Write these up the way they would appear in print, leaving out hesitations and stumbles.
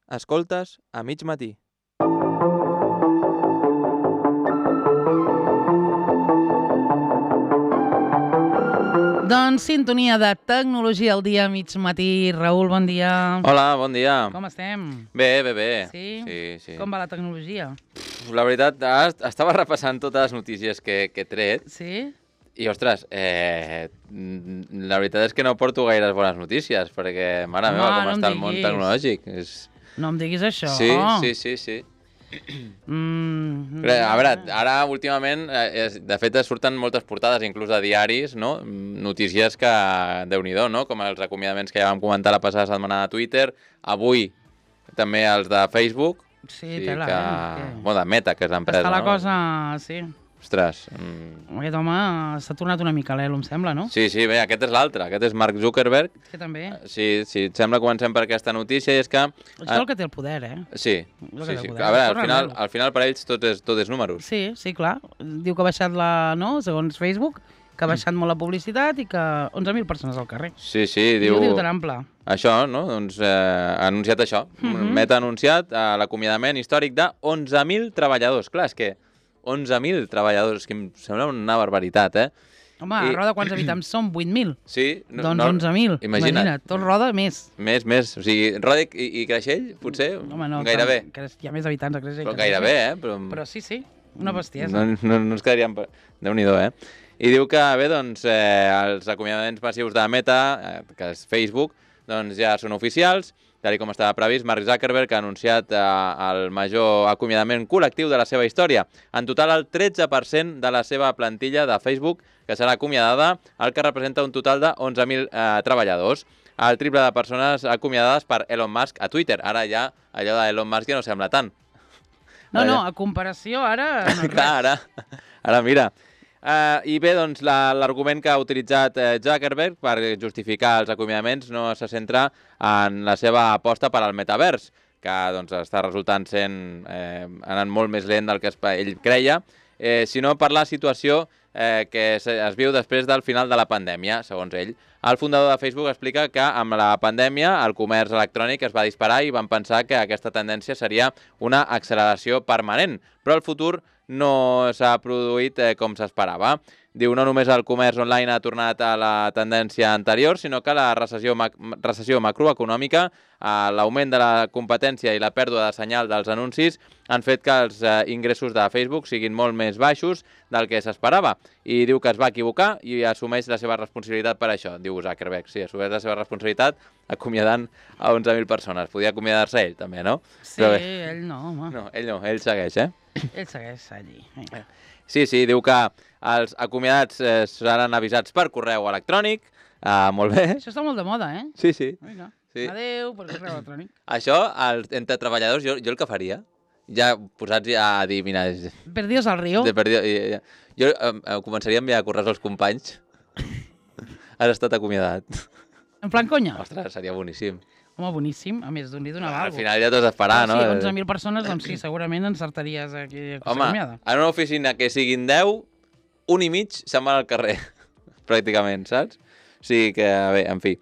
Escoltes a mig matí. Doncs sintonia de tecnologia al dia, mig matí. Raül, bon dia. Hola, bon dia. Com estem? Bé. Sí? Sí. Com va la tecnologia? La veritat, estava repassant totes les notícies que he tret Sí? i, ostres, la veritat és que no porto gaires bones notícies perquè, mare meva, com no em està el món diguis. tecnològic. No em diguis això. Sí. A veure, ara últimament, de fet, surten moltes portades, inclús de diaris, no? Notícies que, Déu-n'hi-do, no? Com els acomiadaments que ja vam comentar la passada setmana de Twitter, avui també els de Facebook, Sí, tela, bueno, de Meta, que és l'empresa, està la no? cosa, sí. Ostres. Aquest home s'ha tornat una mica l'elo, em sembla, no? Sí, bé, aquest és l'altre, aquest és Mark Zuckerberg. És que també. Sí, et sembla, comencem per aquesta notícia, i és que... Això és el que té el poder, eh? Sí. El que té el poder. A veure, al final per ells tot és números. Sí, clar. Diu que ha baixat no? Segons Facebook, que ha baixat molt la publicitat i que 11.000 persones al carrer. Sí, diu... Ho diu tan ample. Això, no? Doncs ha anunciat això. Meta ha anunciat l'acomiadament històric de 11.000 treballadors. Clar, és que 11.000 treballadors, que em sembla una barbaritat, eh? Home, a Roda quants habitants som? 8.000? Sí. Doncs 11.000. Imagina't. Tot Roda més. Més. O sigui, Roda i Creixell, potser, home, no, gairebé. Hi ha més habitants a Creixell. Però gairebé, Però sí, una bestiesa. No ens quedaríem... Déu-n'hi-do, eh? I diu que, bé, doncs, els acomiadaments massius de Meta, que és Facebook, doncs ja són oficials. Tal com estava previst, Mark Zuckerberg ha anunciat el major acomiadament col·lectiu de la seva història. En total, el 13% de la seva plantilla de Facebook que serà acomiadada, el que representa un total de 11.000 treballadors. El triple de persones acomiadades per Elon Musk a Twitter. Ara ja allò d'Elon Musk ja no sembla tant. No, a comparació ara... No clar, ara mira... I bé, doncs, l'argument que ha utilitzat Zuckerberg per justificar els acomiadaments no se centra en la seva aposta per al metavers, que doncs, està resultant anant molt més lent del que ell creia, sinó per la situació que es viu després del final de la pandèmia, segons ell. El fundador de Facebook explica que amb la pandèmia el comerç electrònic es va disparar i van pensar que aquesta tendència seria una acceleració permanent, però el futur no s'ha produït com s'esperava. Diu, no només el comerç online ha tornat a la tendència anterior, sinó que la recessió macroeconòmica, l'augment de la competència i la pèrdua de senyal dels anuncis han fet que els ingressos de Facebook siguin molt més baixos del que s'esperava. I diu que es va equivocar i assumeix la seva responsabilitat per això. Diu Zuckerberg, sí, assumeix la seva responsabilitat acomiadant a 11.000 persones. Podia acomiadar-se ell, també, no? Sí, ell no, home. No, ell segueix, eh? Ell segueix allí. Sí, diu que els acomiadats seran avisats per correu electrònic. Molt bé. Això està molt de moda, eh? Sí. Vinga. Sí. Adéu, per correu electrònic. Això, entre treballadors, jo el que faria, ja posats a dir, mira... Perdidos al río. Jo començaria a enviar correus als companys. Has estat acomiadat. En plan conya? Ostres, seria boníssim. Home, boníssim. A més, d'un li donava alguna cosa. Al final ja t'has d'esperar, no? Sí, 11.000 persones, doncs sí, segurament encertaries aquí acomiada. Home, en una oficina que siguin 10, un i mig se'n van al carrer, pràcticament, saps? O sigui que, bé, en fi.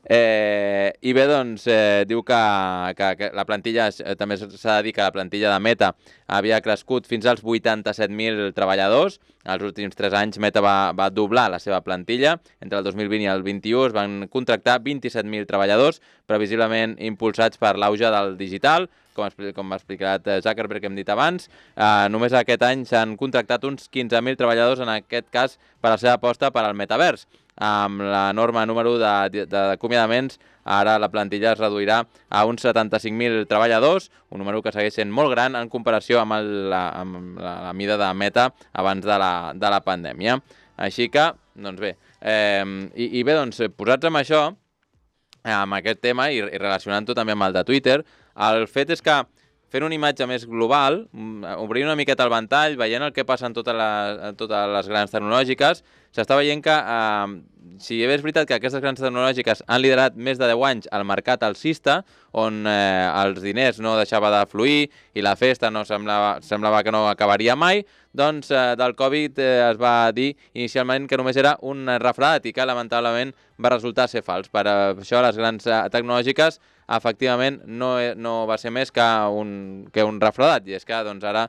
I bé, doncs, diu que la plantilla, també s'ha de dir que la plantilla de Meta havia crescut fins als 87.000 treballadors. Els últims 3 anys Meta va doblar la seva plantilla. Entre el 2020 i el 2021 es van contractar 27.000 treballadors, previsiblement impulsats per l'auge del digital, com ha explicat Zuckerberg, que hem dit abans. Només aquest any s'han contractat uns 15.000 treballadors, en aquest cas per la seva aposta per al metavers. Amb l'enorme número d'acomiadaments, ara la plantilla es reduirà a uns 75.000 treballadors, un número que segueix sent molt gran en comparació amb la mida de Meta abans de la pandèmia. Així que, doncs bé, i bé, doncs, posats amb això, amb aquest tema i relacionant-ho també amb el de Twitter, el fet és que fent una imatge més global, obrint una miqueta el ventall, veient el que passa en totes les grans tecnològiques, s'està veient que, si bé és veritat que aquestes grans tecnològiques han liderat més de 10 anys el mercat alcista, on els diners no deixava de fluir i la festa no semblava que no acabaria mai, doncs del Covid es va dir inicialment que només era un refredat i que lamentablement va resultar ser fals. Per això les grans tecnològiques efectivament no va ser més que un refredat, i és que doncs, ara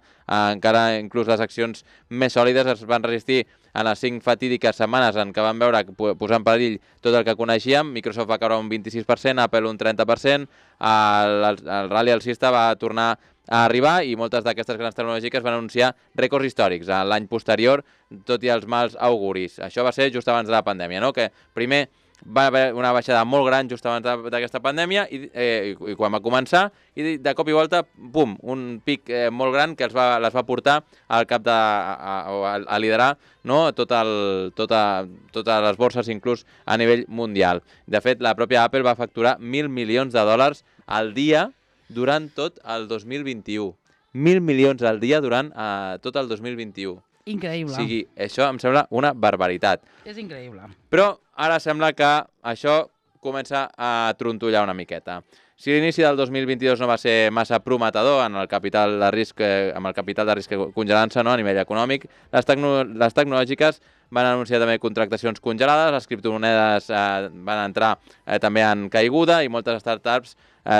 encara inclús les accions més sòlides es van resistir en les 5 fatídiques setmanes en què van veure posar en perill tot el que coneixíem. Microsoft va caure un 26%, Apple un 30%, el rally alcista va tornar a arribar i moltes d'aquestes grans tecnològiques van anunciar rècords històrics l'any posterior, tot i els mals auguris. Això va ser just abans de la pandèmia, no? Que primer va haver una baixada molt gran just abans d'aquesta pandèmia i quan va començar, i de cop i volta, pum, un pic molt gran que les va portar al cap a liderar, no? Totes les borses, inclús a nivell mundial. De fet, la pròpia Apple va facturar $1.000 milions al dia durant tot el 2021. 1.000 milions al dia durant tot el 2021. Increïble. O sigui, això em sembla una barbaritat. És increïble. Però ara sembla que això comença a trontollar una miqueta. Si l'inici del 2022 no va ser massa prometedor amb el capital de risc congelant-se, no, a nivell econòmic, les tecnològiques van anunciar també contractacions congelades, les criptomonedes van entrar també en caiguda i moltes startups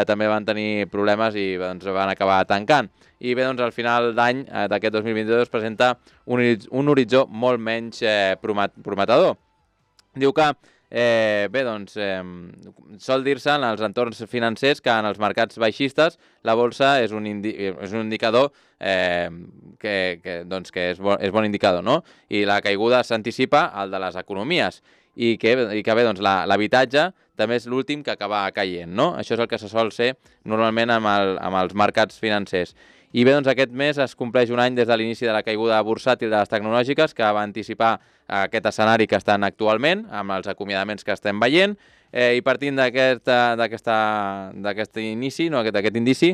també van tenir problemes i doncs, van acabar tancant. I bé, doncs, al final d'any d'aquest 2022 es presenta un horitzó molt menys prometedor. Diu que sol dir-se en els entorns financers que en els mercats baixistes la bolsa és un indicador que és bon indicador, no? I la caiguda s'anticipa al de les economies i que bé, doncs, l'habitatge també és l'últim que acaba caient, no? Això és el que se sol ser normalment amb els mercats financers. I bé, doncs aquest mes es compleix un any des de l'inici de la caiguda bursàtil de les tecnològiques, que va anticipar aquest escenari que estan actualment, amb els acomiadaments que estem veient, i partint d'aquest indici,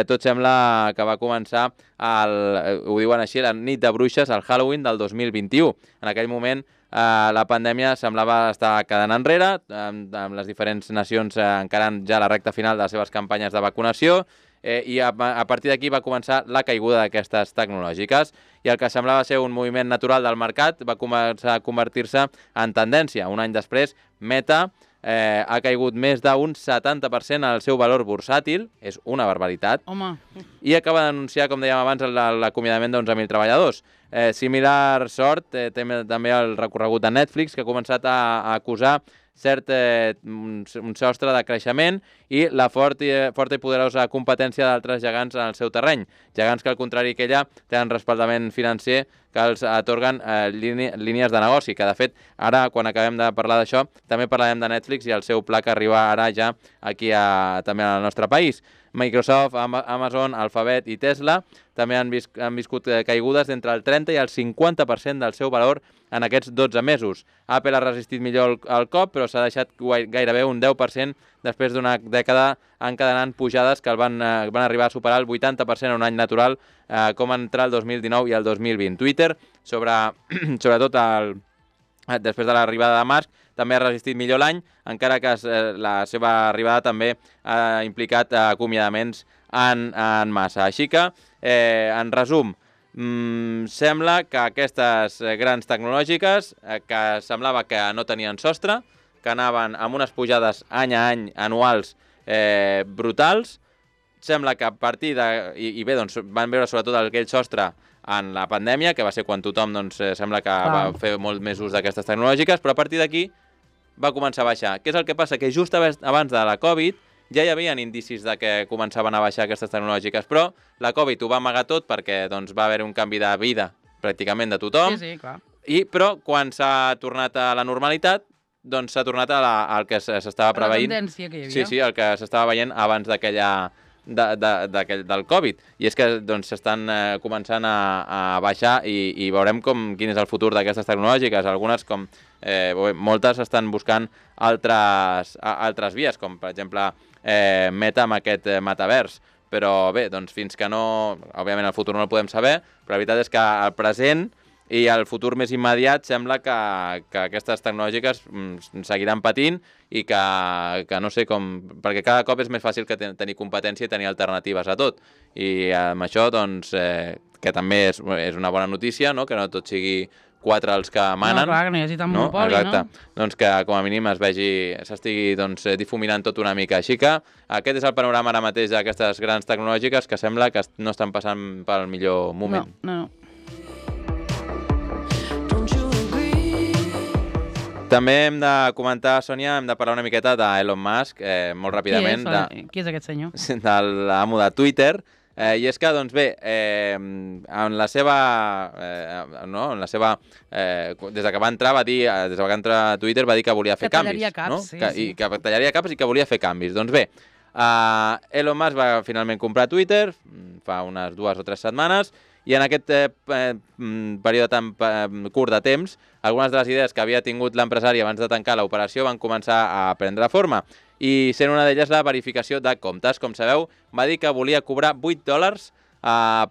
tot sembla que va començar, ho diuen així, la nit de bruixes, el Halloween del 2021. En aquell moment la pandèmia semblava estar quedant enrere, amb les diferents nacions encarant ja la recta final de les seves campanyes de vacunació, i a partir d'aquí va començar la caiguda d'aquestes tecnològiques i el que semblava ser un moviment natural del mercat va començar a convertir-se en tendència. Un any després, Meta ha caigut més d'un 70% al seu valor bursàtil, és una barbaritat, Home. I acaba d'anunciar, com dèiem abans, l'acomiadament d'11.000 treballadors. Similar sort té també el recorregut de Netflix, que ha començat a acusar un sostre de creixement i la forta i poderosa competència d'altres gegants en el seu terreny. Gegants que, al contrari que ella, tenen respaldament financer que els atorguen línies de negoci, que de fet, ara, quan acabem de parlar d'això, també parlarem de Netflix i el seu pla que arriba ara ja aquí també al nostre país. Microsoft, Amazon, Alphabet i Tesla també han viscut caigudes d'entre el 30 i el 50% del seu valor en aquests 12 mesos. Apple ha resistit millor el cop, però s'ha deixat gairebé un 10% després d'una dècada encadenant pujades que van arribar a superar el 80% en un any natural, com entre el 2019 i el 2020. Twitter, sobretot després de l'arribada de Musk, també ha resistit millor l'any, encara que la seva arribada també ha implicat acomiadaments en massa. Així que, en resum, sembla que aquestes grans tecnològiques, que semblava que no tenien sostre, que anaven amb unes pujades any a any anuals brutals, sembla que a partir de... I bé, doncs van veure sobretot aquell sostre en la pandèmia, que va ser quan tothom sembla que va fer molt més ús d'aquestes tecnològiques, però a partir d'aquí va començar a baixar. Què és el que passa? Que just abans de la Covid ja hi havia indicis de que començaven a baixar aquestes tecnològiques, però la Covid ho va amagar tot perquè va haver un canvi de vida pràcticament de tothom. Sí, clar. Però quan s'ha tornat a la normalitat, doncs s'ha tornat al que s'estava preveient. La tendència que hi havia. Sí, el que s'estava veient abans del Covid. I és que s'estan començant a baixar i veurem quin és el futur d'aquestes tecnològiques. Algunes, moltes estan buscant altres vies, com per exemple Meta amb aquest metavers. Però bé, fins que no... Òbviament el futur no el podem saber, però la veritat és que el present i el futur més immediat sembla que aquestes tecnològiques seguiran patint i que no sé com... Perquè cada cop és més fàcil que tenir competència i tenir alternatives a tot. I amb això, que també és una bona notícia, no? Que no tot sigui 4 els que manen. No, clar, que no hi hagi tant monopoli, Exacte. Doncs que com a mínim s'estigui difuminant tot una mica. Així que aquest és el panorama ara mateix d'aquestes grans tecnològiques que sembla que no estan passant pel millor moment. No. També hem de comentar, Sònia, hem de parlar una miqueta d'Elon Musk, molt ràpidament. Qui és aquest senyor? De l'amo de Twitter. I és que, doncs bé, en la seva... des de que va entrar, des de que va entrar a Twitter, va dir que volia fer canvis. Que tallaria caps, sí. I que tallaria caps i que volia fer canvis. Doncs bé, Elon Musk va finalment comprar Twitter fa unes 2 o 3 setmanes i en aquest període tan curt de temps, algunes de les idees que havia tingut l'empresari abans de tancar l'operació van començar a prendre forma. I sent una d'elles la verificació de comptes. Com sabeu, va dir que volia cobrar $8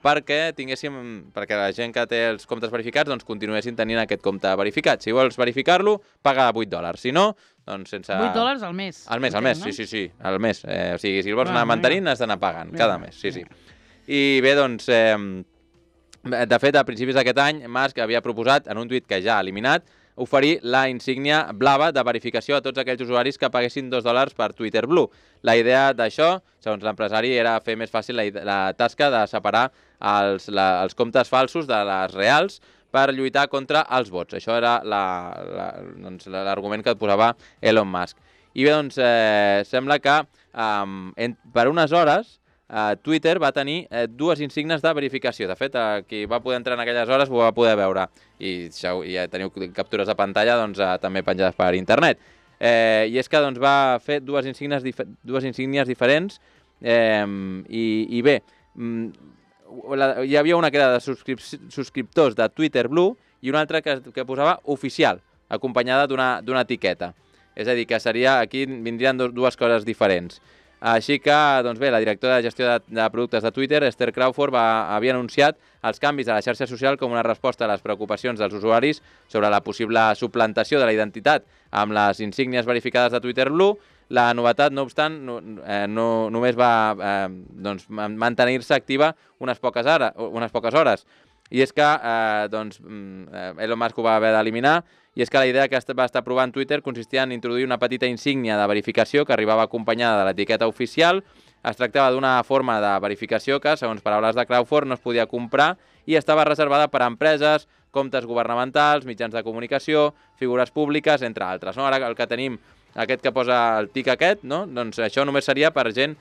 perquè la gent que té els comptes verificats doncs continuessin tenint aquest compte verificat. Si vols verificar-lo, paga $8. Si no, doncs sense... $8 al mes. Al mes, sí, al mes. O sigui, si el vols anar mantenint, has d'anar pagant cada mes, sí. I bé, doncs... De fet, a principis d'aquest any, Musk havia proposat, en un tuit que ja ha eliminat, oferir la insígnia blava de verificació a tots aquells usuaris que paguessin $2 per Twitter Blue. La idea d'això, segons l'empresari, era fer més fàcil la tasca de separar els comptes falsos de les reals per lluitar contra els bots. Això era l'argument que et posava Elon Musk. I bé, doncs, sembla que per unes hores Twitter va tenir 2 insígnies de verificació. De fet, qui va poder entrar en aquelles hores ho va poder veure. I ja teniu captures de pantalla també penjades per internet. I és que va fer 2 insígnies diferents i bé, hi havia una que era de subscriptors de Twitter Blue i una altra que posava oficial, acompanyada d'una etiqueta. És a dir, que aquí vindrien 2 coses diferents. Així que, doncs bé, la directora de gestió de productes de Twitter, Esther Crawford, havia anunciat els canvis a la xarxa social com una resposta a les preocupacions dels usuaris sobre la possible suplantació de la identitat amb les insígnies verificades de Twitter Blue. La novetat, no obstant, només va mantenir-se activa unes poques hores. I és que Elon Musk ho va haver d'eliminar, i és que la idea que va estar provant Twitter consistia en introduir una petita insígnia de verificació que arribava acompanyada de l'etiqueta oficial. Es tractava d'una forma de verificació que, segons paraules de Crawford, no es podia comprar i estava reservada per a empreses, comptes governamentals, mitjans de comunicació, figures públiques, entre altres. Ara el que tenim, aquest que posa el tic aquest, doncs això només seria per gent,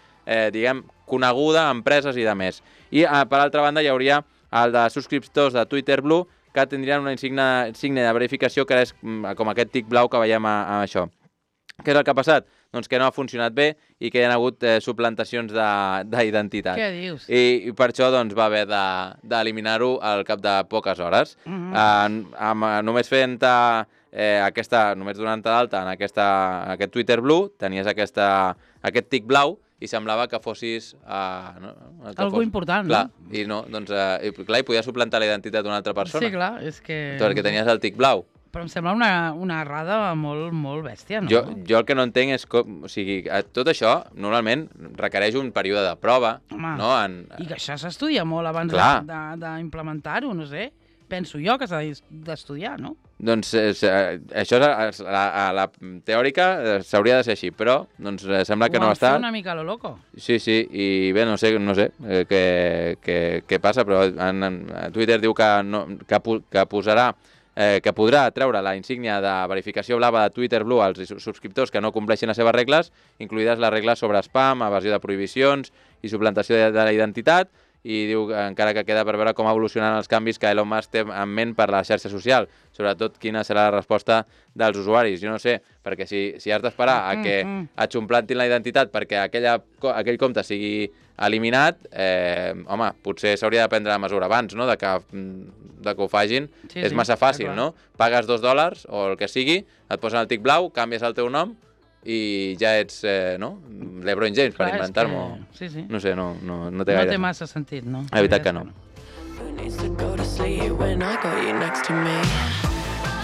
coneguda, empreses i de més. I, per altra banda, hi hauria el de subscriptors de Twitter Blue, que tindrien una insígnia de verificació que és com aquest tic blau que veiem a això. Què és el que ha passat? Doncs que no ha funcionat bé i que hi ha hagut suplantacions d'identitat. Què dius? I per això va haver d'eliminar-ho al cap de poques hores. Només només donant-te d'alta en aquest Twitter Blue, tenies aquest tic blau i semblava que fossis... Algú important, no? I no, doncs, hi podia suplantar la identitat d'una altra persona. Sí, clar, és que... Perquè tenies el tic blau. Però em sembla una errada molt bèstia, no? Jo el que no entenc és com... O sigui, tot això, normalment, requereix un període de prova. Home, i que això s'estudia molt abans d'implementar-ho, no sé. Penso jo que s'ha d'estudiar, no? Doncs això a la teòrica s'hauria de ser així, però sembla que no ha estat. Ho han fet una mica a lo loco. Sí, i bé, no sé què passa, però Twitter diu que posarà que podrà treure la insígnia de verificació blava de Twitter Blue als subscriptors que no compleixin les seves regles, incluïdes les regles sobre spam, evasió de prohibicions i suplantació de la identitat, i diu encara que queda per veure com evolucionaran els canvis que Elon Musk té en ment per la xarxa social, sobretot quina serà la resposta dels usuaris. Jo no sé, perquè si has d'esperar a que et suplantin la identitat perquè aquell compte sigui eliminat, home, potser s'hauria de prendre la mesura abans, no?, de que ho facin. És massa fàcil, no? Pagues $2 o el que sigui, et posen el tic blau, canvies el teu nom i ja ets, LeBron James, per inventar-m'ho. Sí. No sé, no té gaire. No té massa sentit, no? La veritat que no.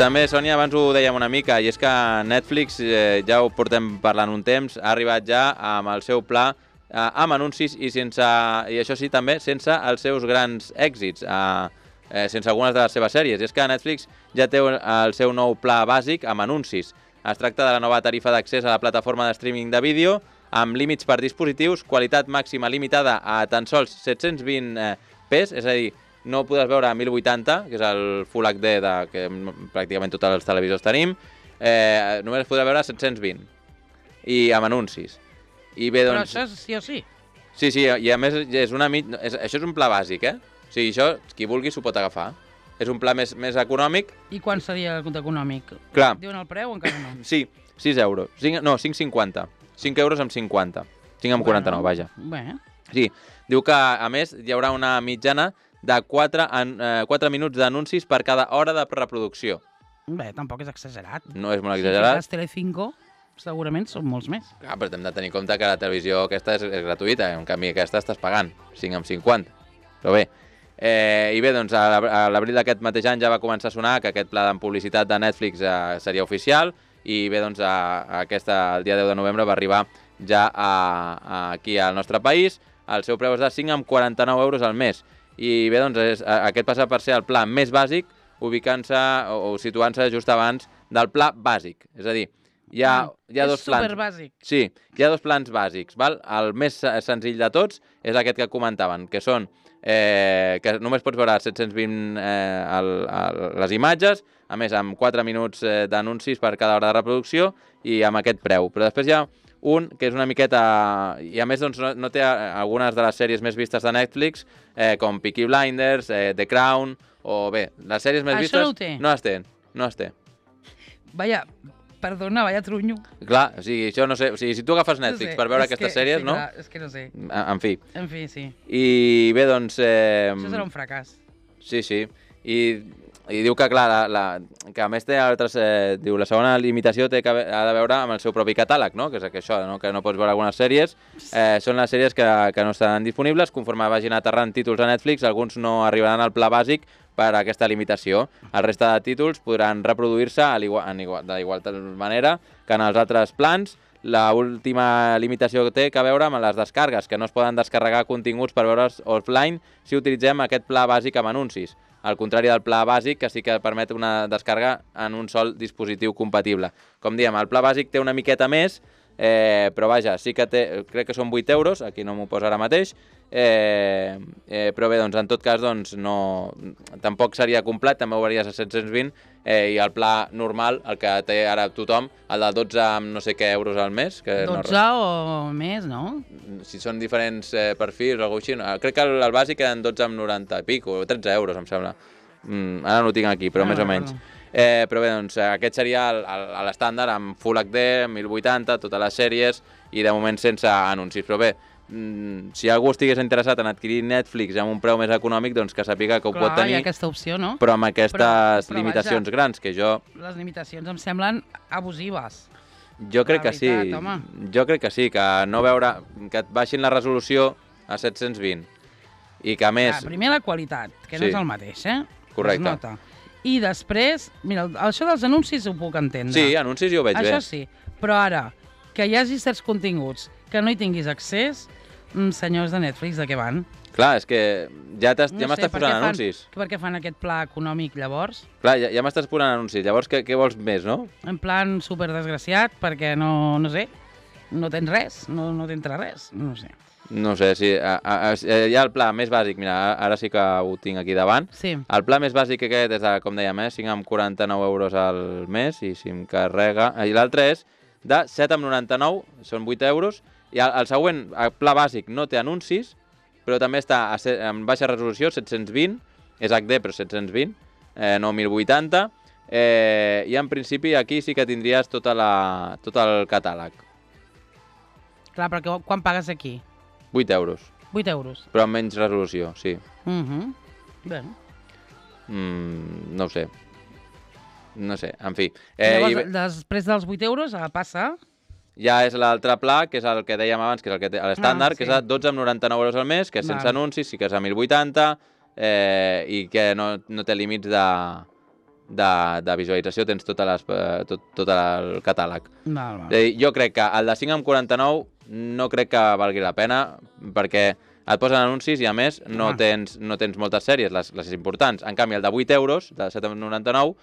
També, Sònia, abans ho dèiem una mica, i és que Netflix, ja ho portem parlant un temps, ha arribat ja amb el seu pla amb anuncis i això sí, també sense els seus grans èxits. sense algunes de les seves sèries. I és que Netflix ja té el seu nou pla bàsic amb anuncis. Es tracta de la nova tarifa d'accés a la plataforma de streaming de vídeo, amb límits per dispositius, qualitat màxima limitada a tan sols 720p, és a dir, no podràs veure a 1080, que és el Full HD que pràcticament tots els televisors tenim, només es podrà veure a 720, i amb anuncis. I bé, doncs... Però això és sí o sí? Sí, i a més això és un pla bàsic, O sigui, això, qui vulgui s'ho pot agafar. És un pla més econòmic. I quan seria el compte econòmic? Clar. Diuen el preu o encara no? Sí, 6 euros. No, 5,50. 5 euros amb 50. 5 amb 49, vaja. Bé. Sí, diu que, a més, hi haurà una mitjana de 4 minuts d'anuncis per cada hora de reproducció. Bé, tampoc és exagerat. No és molt exagerat. Si Telecinco, segurament són molts més. Clar, però hem de tenir en compte que la televisió aquesta és gratuïta, en canvi aquesta estàs pagant 5 amb 50. Però bé, i bé, doncs a l'abril d'aquest mateix any ja va començar a sonar que aquest pla de publicitat de Netflix seria oficial i bé, doncs el dia 10 de novembre va arribar ja aquí al nostre país. El seu preu és de 5 amb 49 euros al mes. I bé, doncs aquest passa per ser el pla més bàsic, ubicant-se o situant-se just abans del pla bàsic. És a dir, hi ha dos plans. És superbàsic. Sí, hi ha dos plans bàsics. Val? El més senzill de tots és aquest que comentaven, que són que només pots veure 720 les imatges, a més amb 4 minuts d'anuncis per cada hora de reproducció i amb aquest preu. Però després hi ha un que és una miqueta... I a més doncs, no té algunes de les sèries més vistes de Netflix, com Peaky Blinders, The Crown, o bé, les sèries més vistes... Això no ho té? No es té. Vaya, perdona, vaya trunyo. Clar, o sigui, això no sé... O sigui, si tu agafes Netflix per veure aquestes sèries, sí, no? Clar, és que no sé. En fi. En fi, sí. I bé, doncs... Això serà un fracàs. Sí. I diu que, clar, que a més té altres... diu, la segona limitació ha de veure amb el seu propi catàleg, no? Que és això, no? Que no pots veure algunes sèries. Són les sèries que no estaran disponibles. Conforme vagin aterrant títols a Netflix, alguns no arribaran al pla bàsic per aquesta limitació. El resta de títols podran reproduir-se d'igual manera que en els altres plans. L'última limitació que té a veure amb les descargues, que no es poden descarregar continguts per veure's offline si utilitzem aquest pla bàsic amb anuncis. Al contrari del pla bàsic, que sí que permet una descàrrega en un sol dispositiu compatible. Com diem, el pla bàsic té una miqueta més, però vaja, sí que té, crec que són 8 euros, aquí no m'ho posa ara mateix, però bé, doncs en tot cas doncs, no, tampoc seria complet, també ho veuries a 720, i el pla normal, el que té ara tothom, el de 12 amb no sé què euros al mes. Que 12 o més, no? Si són diferents perfils o alguna cosa així, crec que el bàsic eren 12 amb 90 i pic, o 13 euros, em sembla. Ara no ho tinc aquí, però més o menys. Però bé, doncs aquest seria l'estàndard amb Full HD, 1080, totes les sèries i de moment sense anuncis. Però bé, si algú estigués interessat en adquirir Netflix amb un preu més econòmic, doncs que sàpiga que ho pot tenir. Hi ha aquesta opció, no? Però amb aquestes limitacions grans, que jo... Les limitacions em semblen abusives. Jo crec que sí. Jo crec que sí, que no veure... que et baixin la resolució a 720 i que a més... Primer la qualitat, que no és el mateix, Correcte. Es nota. I després, mira, això dels anuncis ho puc entendre. Sí, anuncis jo ho veig bé. Això sí, però ara, que hi hagi certs continguts que no hi tinguis accés, senyors de Netflix, de què van? Clar, és que ja m'estàs posant anuncis. Per què fan aquest pla econòmic, llavors? Clar, ja m'estàs posant anuncis. Llavors, què vols més, no? En plan superdesgraciat, perquè no sé, no tens res, no t'entra res, no sé. No sé, sí. Hi ha el pla més bàsic, mira, ara sí que ho tinc aquí davant. Sí. El pla més bàsic aquest és, com dèiem, 5 amb 49 euros al mes, i si em carrega... I l'altre és de 7 amb 99, són 8 euros, i el següent, el pla bàsic, no té anuncis, però també està en baixa resolució, 720, és HD però 720, no 1080, i en principi aquí sí que tindries tot el catàleg. Clar, però quan pagues aquí? 8 euros. 8 euros. Però amb menys resolució, sí. Bé. No ho sé. No sé, en fi. Llavors, després dels 8 euros, passa... Ja és l'altre pla, que és el que dèiem abans, que és el que té l'estàndard, que és a 12 amb 99 euros al mes, que és sense anuncis, sí que és a 1080, i que no té límits de visualització, tens tot el catàleg. Jo crec que el de 5 amb 49 no crec que valgui la pena, perquè Et posen anuncis i, a més, no tens moltes sèries, les importants. En canvi, el de 8 euros, de 7,99,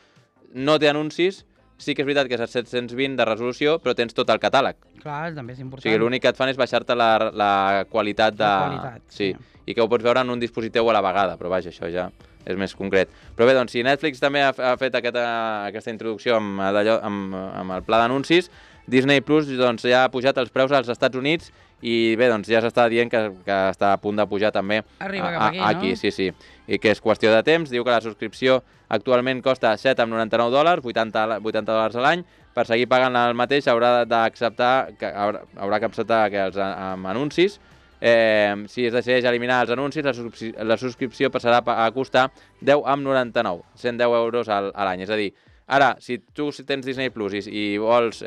no té anuncis. Sí que és veritat que és a 720 de resolució, però tens tot el catàleg. Clar, també és important. O sigui, l'únic que et fan és baixar-te la qualitat de... La qualitat, sí. I que ho pots veure en un dispositiu a la vegada, però vaja, això ja és més concret. Però bé, doncs, si Netflix també ha fet aquesta introducció amb el pla d'anuncis, Disney Plus doncs, ja ha pujat els preus als Estats Units i bé, doncs ja s'està dient que està a punt de pujar també Arriba cap aquí, no? Sí. I que és qüestió de temps. Diu que la subscripció actualment costa $7,99, $80 a l'any. Per seguir pagant el mateix haurà d'acceptar que els anuncis. Si es decideix eliminar els anuncis, la subscripció passarà a costar $10,99, 110 euros a l'any. És a dir, ara, si tu tens Disney Plus i vols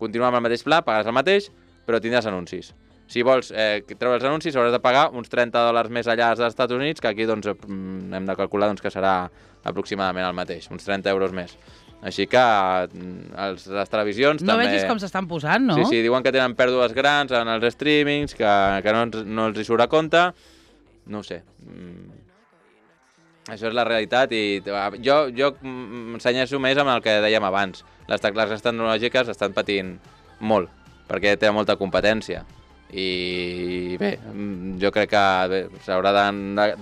continuar amb el mateix pla, pagaràs el mateix, però tindràs anuncis. Si vols treure els anuncis, hauràs de pagar uns $30 més allà als Estats Units, que aquí doncs, hem de calcular que serà aproximadament el mateix, uns 30 euros més. Així que les televisions no també... No vegis com s'estan posant, no? Sí, diuen que tenen pèrdues grans en els streamings, que no els hi surt a compte. No ho sé. Això és la realitat i jo m'ensenyeixo més amb el que dèiem abans. Les tecles tecnològiques estan patint molt, perquè té molta competència. I bé, jo crec que s'haurà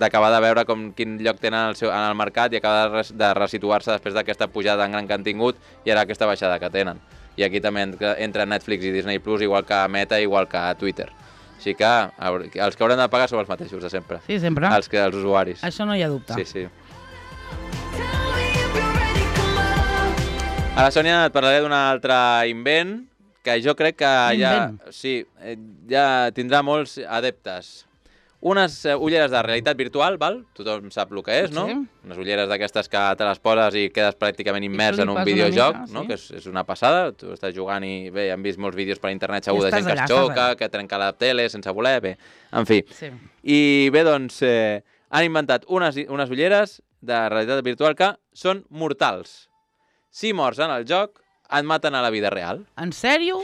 d'acabar de veure quin lloc tenen en el mercat i acabar de resituar-se després d'aquesta pujada tan gran que han tingut i ara aquesta baixada que tenen. I aquí també entra Netflix i Disney Plus, igual que Meta, igual que Twitter. Així que els que hauran de pagar són els mateixos de sempre. Sí, sempre. Els usuaris. Això no hi ha dubte. Sí. Ara, Sònia, et parlaré d'un altre invent que jo crec que ja tindrà molts adeptes. Unes ulleres de realitat virtual, val? Tothom sap el que és, no? Sí. Unes ulleres d'aquestes que te les poses i quedes pràcticament immers en un videojoc, no? Que és una passada. Tu estàs jugant i bé, hem vist molts vídeos per internet segur de gent que es xoca, que trenca la tele sense voler, bé, en fi. Sí. I bé, doncs, han inventat unes ulleres de realitat virtual que són mortals. Si mors en el joc, et maten a la vida real. En sèrio?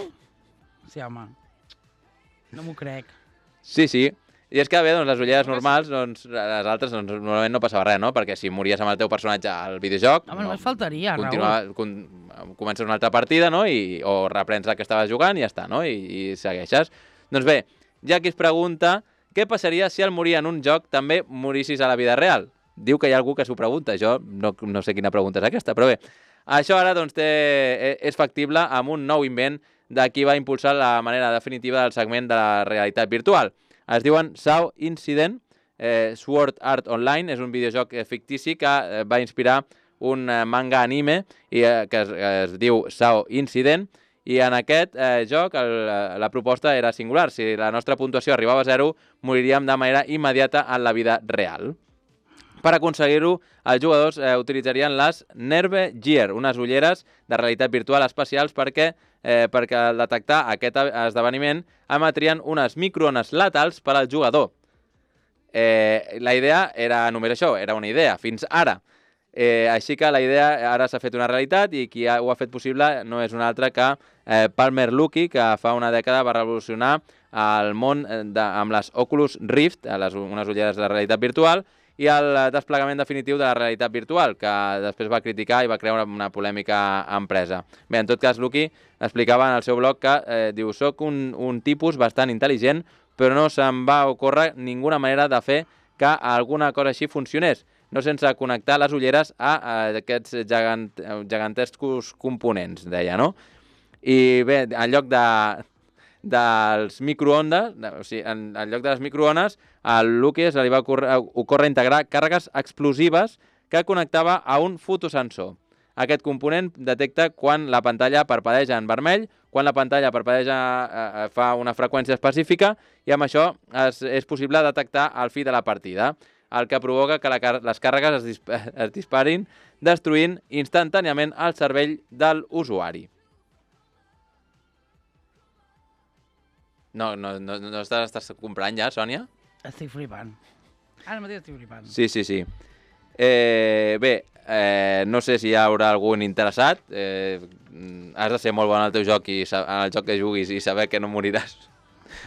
Sí, home. No m'ho crec. Sí. I és que bé, doncs, les ulleres normals, doncs, les altres, doncs, normalment no passava res, no? Perquè si mories amb el teu personatge al videojoc... Home, només faltaria, Raül. Comences una altra partida, no? O reprens la que estaves jugant i ja està, no? I segueixes. Doncs bé, hi ha qui es pregunta què passaria si al morir en un joc també morissis a la vida real. Diu que hi ha algú que s'ho pregunta. Jo no sé quina pregunta és aquesta, però bé. Això ara doncs, és factible amb un nou invent de qui va impulsar la manera definitiva del segment de la realitat virtual. Es diuen SAO Incident, Sword Art Online, és un videojoc fictici que va inspirar un manga anime que es diu SAO Incident, i en aquest joc la proposta era singular. Si la nostra puntuació arribava a 0, moriríem de manera immediata en la vida real. Per aconseguir-ho, els jugadors utilitzarien les Nerve Gear, unes ulleres de realitat virtual especials perquè al detectar aquest esdeveniment emetrien unes microones letals per al jugador. La idea era només això, era una idea, fins ara. Així que la idea ara s'ha fet una realitat i qui ho ha fet possible no és un altre que Palmer Luckey, que fa una dècada va revolucionar el món amb les Oculus Rift, unes ulleres de realitat virtual, i el desplegament definitiu de la realitat virtual, que després va criticar i va crear una polèmica empresa. Bé, en tot cas, Luckey explicava en el seu blog que diu: soc un tipus bastant intel·ligent, però no se'm va ocórrer ninguna manera de fer que alguna cosa així funcionés, no sense connectar les ulleres a aquests gegantescos components, deia, no? I bé, en lloc dels microones, en lloc de les microones, al Luckey se li va ocórrer integrar càrregues explosives que connectava a un fotosensor. Aquest component detecta quan la pantalla parpadeja en vermell, quan la pantalla parpadeja fa una freqüència específica, i amb això és possible detectar el fi de la partida, el que provoca que les càrregues es disparin, destruint instantàniament el cervell de l'usuari. No estàs comprant ja, Sònia? Estic flipant. Ara mateix estic flipant. Sí. Bé, no sé si hi haurà algun interessat. Has de ser molt bon al teu joc en el joc que juguis i saber que no moriràs.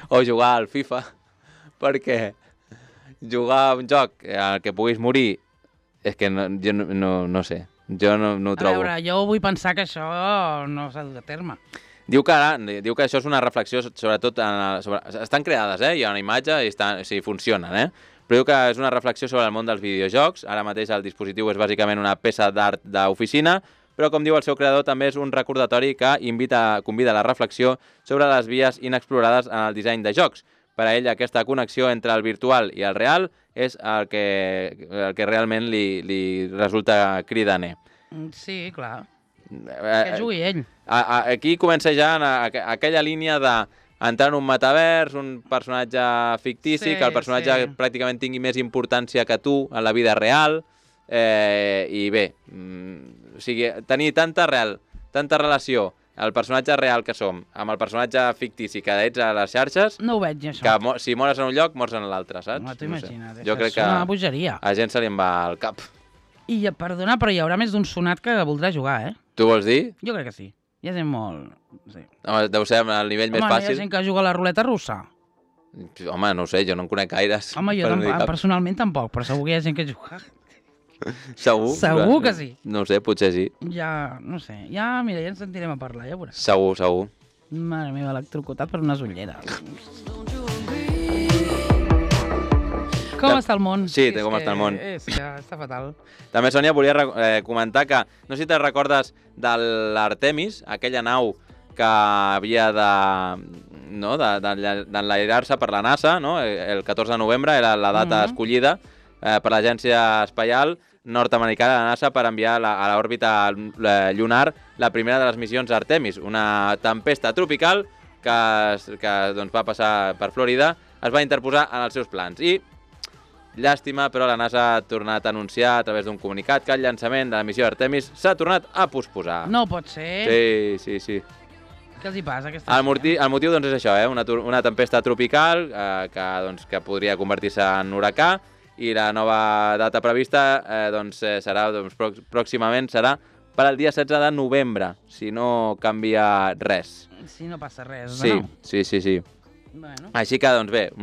O jugar al FIFA. perquè jugar a un joc al que puguis morir és que jo no sé, jo no ho A trobo. veure, jo vull pensar que això no s'ha dut a terme. Diu que això és una reflexió sobretot estan creades, hi ha una imatge i funcionen, però diu que és una reflexió sobre el món dels videojocs. Ara mateix el dispositiu és bàsicament una peça d'art d'oficina, però com diu el seu creador també és un recordatori que convida a la reflexió sobre les vies inexplorades en el disseny de jocs. Per a ell aquesta connexió entre el virtual i el real és el que realment li resulta cridaner. Sí, clar. Que jugui ell. Aquí comença ja aquella línia d'entrar en un metavers, un personatge fictici, que el personatge pràcticament tingui més importància que tu en la vida real, i bé, o sigui, tenir tanta relació el personatge real que som amb el personatge fictici que ets a les xarxes, no ho veig, això. Que si mores en un lloc, mors en l'altre, saps? No t'ho imagina't, jo crec que és una bogeria. a gent se li en va al cap. I, perdona, però hi haurà més d'un sonat que voldrà jugar, Tu vols dir? Jo crec que sí. Hi ha gent molt... Sí. Home, deu ser el nivell més fàcil. Hi ha gent que juga a la ruleta russa. Home, no ho sé, jo no en conec gaires. Home, jo personalment tampoc, però segur que hi ha gent que juga. Segur? Segur que sí. No ho sé, potser sí. Ja, no sé. Mira, ja ens sentirem a parlar, ja veuràs. Segur. Mare meva, electrocutat per unes ulleres. Com està el món? Sí, com està el món. És que està fatal. També, Sònia, volia comentar que, no sé si te'n recordes de l'Artemis, aquella nau que havia d'enlairar-se per la NASA, no? El 14 de novembre era la data escollida per l'Agència Espacial nord-americana de la NASA per enviar a l'òrbita lunar la primera de les missions Artemis, una tempesta tropical que doncs, va passar per Florida, es va interposar en els seus plans. I, llàstima, però la NASA ha tornat a anunciar a través d'un comunicat que el llançament de la missió Artemis s'ha tornat a posposar. No pot ser. Sí. Què els hi passa? El motiu doncs, és això, una tempesta tropical que podria convertir-se en huracà, i la nova data prevista pròximament serà per al dia 16 de novembre, si no canvia res. Si no passa res, sí, no? Sí. Bueno. Així que, doncs bé,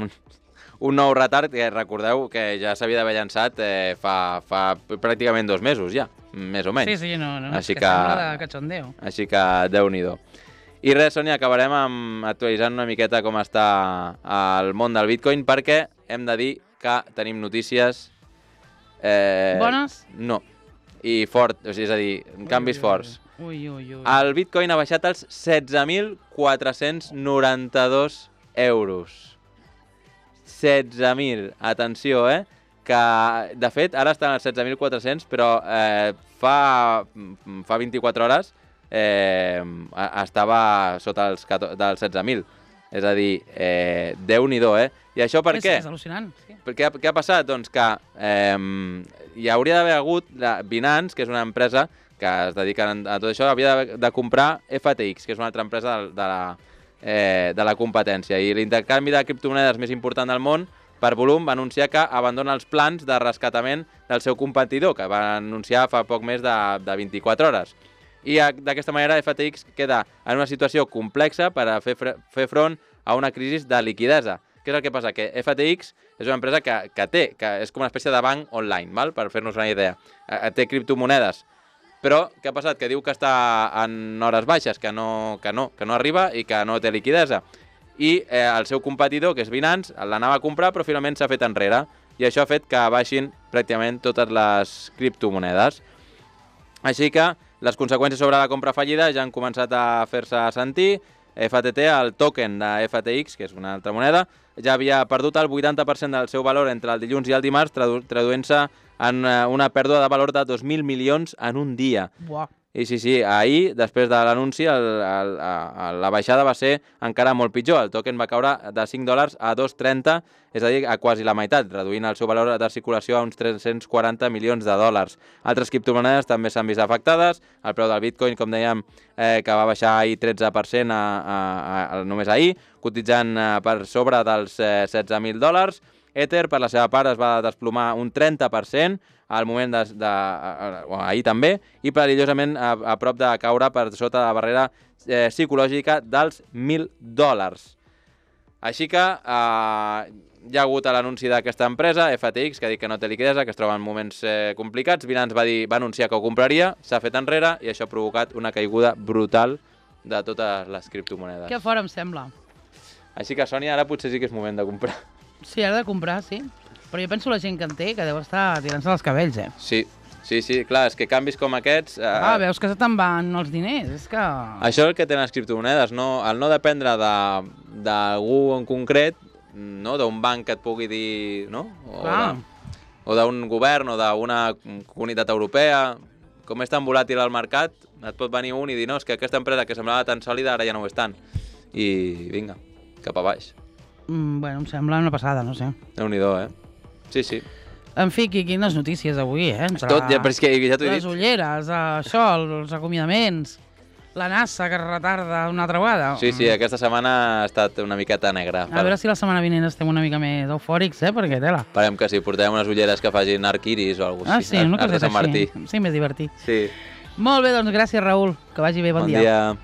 un nou retard que recordeu que ja s'havia d'haver llançat fa pràcticament 2 mesos ja, més o menys. Sí, no, així que sembla de cachondeo. Així que Déu-n'hi-do. I res, Sònia, acabarem actualitzant una miqueta com està el món del Bitcoin, perquè hem de dir que tenim notícies... Bones? No. I és a dir, canvis forts. Ui. El Bitcoin ha baixat als 16.492 euros. 16.000, atenció, que de fet ara estan als 16.400, però fa 24 hores estava sota dels 16.000. És a dir, Déu-n'hi-do, I això per què? És al·lucinant, sí. Què ha passat? Doncs que hi hauria d'haver hagut Binance, que és una empresa que es dedica a tot això, havia de comprar FTX, que és una altra empresa de la competència. I l'intercanvi de criptomonedes més important del món, per volum, va anunciar que abandona els plans de rescatament del seu competidor, que va anunciar fa poc més de 24 hores. I d'aquesta manera FTX queda en una situació complexa per a fer front a una crisi de liquidesa. Què és el que passa? Que FTX és una empresa que és com una espècie de banc online, val? Per fer-nos una idea. Té criptomonedes. Però què ha passat? Que diu que està en hores baixes, que no arriba i que no té liquidesa. I el seu competidor, que és Binance, l'anava a comprar, però finalment s'ha fet enrere. I això ha fet que baixin pràcticament totes les criptomonedes. Així que les conseqüències sobre la compra fallida ja han començat a fer-se sentir. FTT, el token de FTX, que és una altra moneda, ja havia perdut el 80% del seu valor entre el dilluns i el dimarts, traduint-se en una pèrdua de valor de 2.000 milions en un dia. Buah. I sí, ahir, després de l'anunci, la baixada va ser encara molt pitjor. El token va caure de $5 a 2,30, és a dir, a quasi la meitat, reduint el seu valor de circulació a uns 340 milions de dòlars. Altres criptomonedes també s'han vist afectades. El preu del Bitcoin, com dèiem, que va baixar ahir 13% només ahir, cotitzant per sobre dels $16.000. Ether, per la seva part, es va desplomar un 30%, al moment ahir també, i perillosament a prop de caure per sota de la barrera psicològica dels $1.000. Així que hi ha hagut l'anunci d'aquesta empresa, FTX, que ha dit que no té liquidesa, que es troba en moments complicats. Binance va anunciar que ho compraria, s'ha fet enrere i això ha provocat una caiguda brutal de totes les criptomonedes. Que fora, em sembla. Així que, Sònia, ara potser sí que és moment de comprar. Sí, ara de comprar, sí. Però jo penso la gent que en té, que deu estar tirant-se els cabells, Sí, clar, és que canvis com aquests... veus que se te'n van els diners, és que... Això és el que tenen les criptomonedes, no? El no dependre d'algú en concret, no? D'un banc que et pugui dir, no? O d'un govern o d'una comunitat europea. Com és tan volàtil el mercat, et pot venir un i dir, no, és que aquesta empresa que semblava tan sòlida ara ja no ho és tant. I vinga, cap a baix. Bueno, em sembla una passada, no sé. Déu-n'hi-do, Sí. En fi, quines notícies avui, Tot, però és que ja t'ho he dit. Les ulleres, això, els acomiadaments, la NASA que es retarda una altra vegada. Sí, aquesta setmana ha estat una miqueta negra. A veure si la setmana vinent estem una mica més eufòrics, perquè tela. Esperem que sí, portem unes ulleres que facin arc iris o alguna cosa així. Sí, una cosa així. Sí, més divertit. Sí. Molt bé, doncs gràcies, Raül. Que vagi bé, bon dia. Bon dia.